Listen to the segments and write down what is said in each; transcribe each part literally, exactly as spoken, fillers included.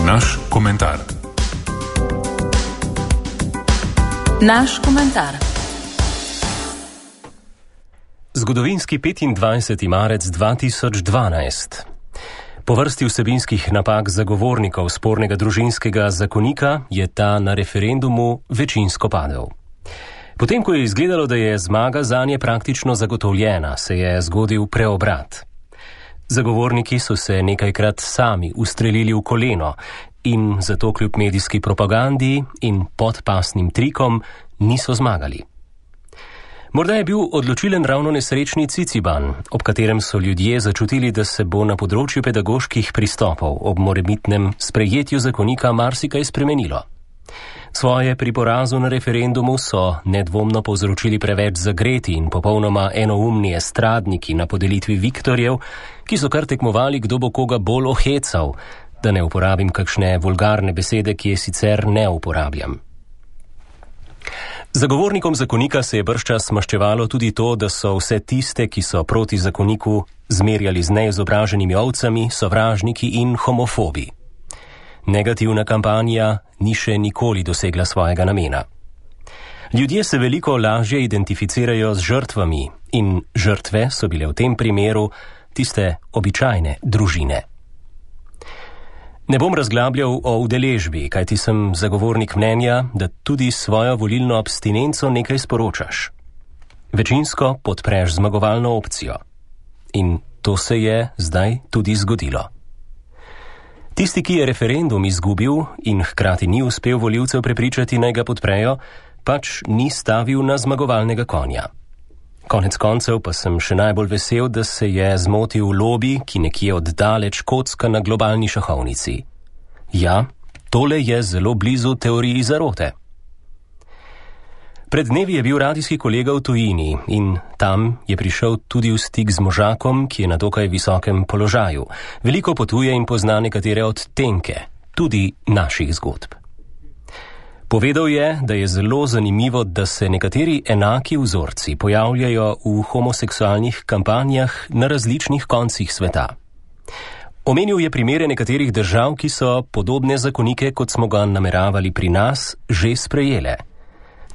Naš komentar. Naš komentar. Zgodovinski petindvajseti marec dva tisoč dvanajst. Po vrsti vsebinskih napak zagovornikov spornega družinskega zakonika je ta na referendumu večinsko padel. Potem, ko je izgledalo, da je zmaga zanje praktično zagotovljena, se je zgodil preobrat. Zagovorniki so se nekajkrat sami ustrelili v koleno in zato kljub medijski propagandi in podpasnim trikom niso zmagali. Morda je bil odločilen ravno nesrečni Ciciban, ob katerem so ljudje začutili, da se bo na področju pedagoških pristopov ob morebitnem sprejetju zakonika marsikaj spremenilo. Svoje pri porazu na referendumu so nedvomno povzročili preveč zagreti in popolnoma enoumni estradniki na podelitvi Viktorjev, ki so kar tekmovali, kdo bo koga bolj ohecal, da ne uporabim kakšne vulgarne besede, ki je sicer ne uporabljam. Zagovornikom zakonika se je bržčas maščevalo tudi to, da so vse tiste, ki so proti zakoniku zmerjali z neizobraženimi ovcami, sovražniki in homofobi. Negativna kampanja ni še nikoli dosegla svojega namena. Ljudje se veliko lažje identificirajo z žrtvami in žrtve so bile v tem primeru tiste običajne družine. Ne bom razglabljal o udeležbi, kajti sem zagovornik mnenja, da tudi svojo volilno abstinenco nekaj sporočaš. Večinsko podpreš zmagovalno opcijo. In to se je zdaj tudi zgodilo. Tisti, ki je referendum izgubil in hkrati ni uspel volivcev prepričati, naj ga podprejo, pač ni stavil na zmagovalnega konja. Konec koncev pa sem še najbolj vesel, da se je zmotil lobi, ki nekje oddaleč kocka na globalni šahovnici. Ja, tole je zelo blizu teoriji zarote. Pred dnevi je bil radijski kolega v tujini in tam je prišel tudi v stik z možakom, ki je na dokaj visokem položaju. Veliko potuje in pozna nekatere odtenke, tudi naših zgodb. Povedal je, da je zelo zanimivo, da se nekateri enaki vzorci pojavljajo v homoseksualnih kampanjah na različnih koncih sveta. Omenil je primere nekaterih držav, ki so podobne zakonike, kot smo ga nameravali pri nas, že sprejele.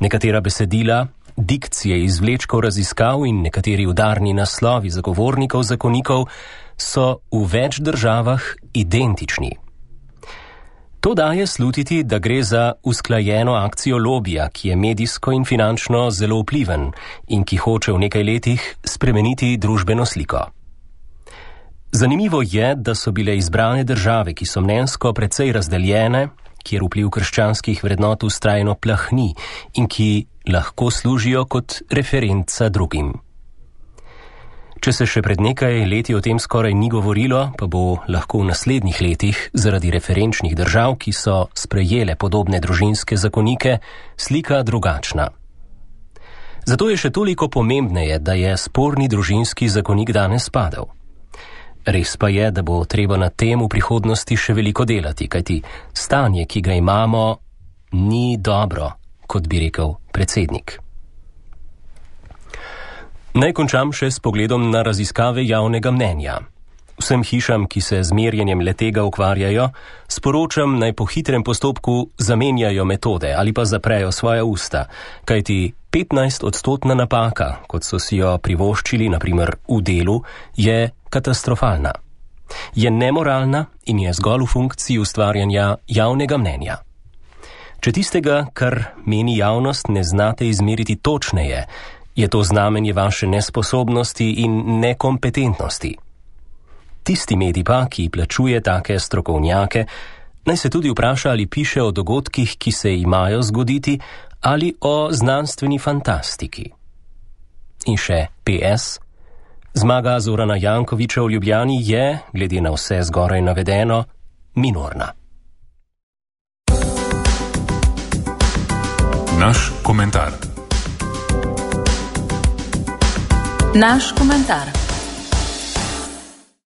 Nekatera besedila, dikcije izvlečkov raziskav in nekateri udarni naslovi zagovornikov zakonikov so v več državah identični. To daje slutiti, da gre za usklajeno akcijo lobija, ki je medijsko in finančno zelo vpliven in ki hoče v nekaj letih spremeniti družbeno sliko. Zanimivo je, da so bile izbrane države, ki so mnenjsko precej razdeljene, kjer vpliv krščanskih vrednot vztrajno plahni in ki lahko služijo kot referenca drugim. Če se še pred nekaj leti o tem skoraj ni govorilo, pa bo lahko v naslednjih letih zaradi referenčnih držav, ki so sprejele podobne družinske zakonike, slika drugačna. Zato je še toliko pomembneje, da je sporni družinski zakonik danes padel. Res pa je, da bo treba na tem v prihodnosti še veliko delati, kajti stanje, ki ga imamo, ni dobro, kot bi rekel predsednik. Naj končam še s pogledom na raziskave javnega mnenja. Vsem hišam, ki se z merjenjem letega ukvarjajo, sporočam, naj po hitrem postopku zamenjajo metode ali pa zaprejo svoja usta, kajti petnajst odstotna napaka, kot so si jo privoščili, na primer v delu, je katastrofalna. Je nemoralna in je zgolj v funkciji ustvarjanja javnega mnenja. Če tistega, kar meni javnost, ne znate izmeriti točneje, je to znamenje vaše nesposobnosti in nekompetentnosti. Tisti medij pa, ki plačuje take strokovnjake, naj se tudi vpraša, ali piše o dogodkih, ki se imajo zgoditi, ali o znanstveni fantastiki. In še P S. Zmaga Zorana Jankovića v Ljubljani je, glede na vse zgoraj navedeno, minorna. Naš komentar. Naš komentar.